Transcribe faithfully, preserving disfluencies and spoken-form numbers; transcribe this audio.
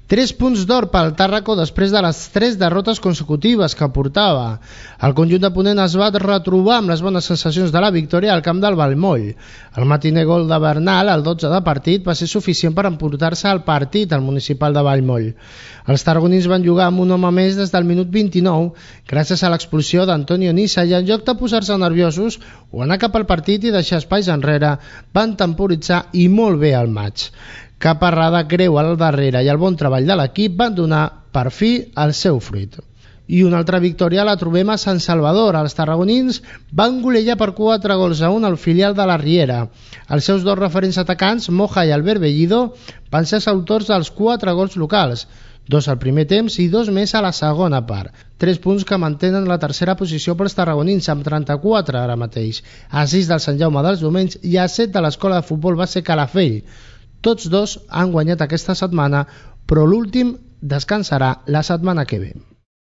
Tres punts d'or pel Tàrraco després de les tres derrotes consecutives que portava. El conjunt de Ponent es va retrobar amb les bones sensacions de la victòria al camp del Vallmoll. El matiner gol de Bernal, el dotze de partit, va ser suficient per emportar-se el partit al municipal de Vallmoll. Els tarragonins van jugar amb un home més des del minut vint-i-nou gràcies a l'expulsió d'Antonio Nissa i en lloc de posar-se nerviosos o anar cap al partit i deixar espais enrere, van temporitzar i molt bé el maig. Cap errada greu al darrere i el bon treball de l'equip van donar per fi el seu fruit. I una altra victòria la trobem a Sant Salvador. Els tarragonins van golejar per quatre gols a un al filial de la Riera. Els seus dos referents atacants, Moja i Albert Bellido, van ser els autors dels quatre gols locals, dos al primer temps i dos més a la segona part. Tres punts que mantenen la tercera posició pels tarragonins amb trenta-quatre ara mateix, a sis del Sant Jaume dels Domenys i a set de l'Escola de Futbol Base Calafell. Tots dos han guanyat aquesta setmana, però l'últim descansarà la setmana que ve.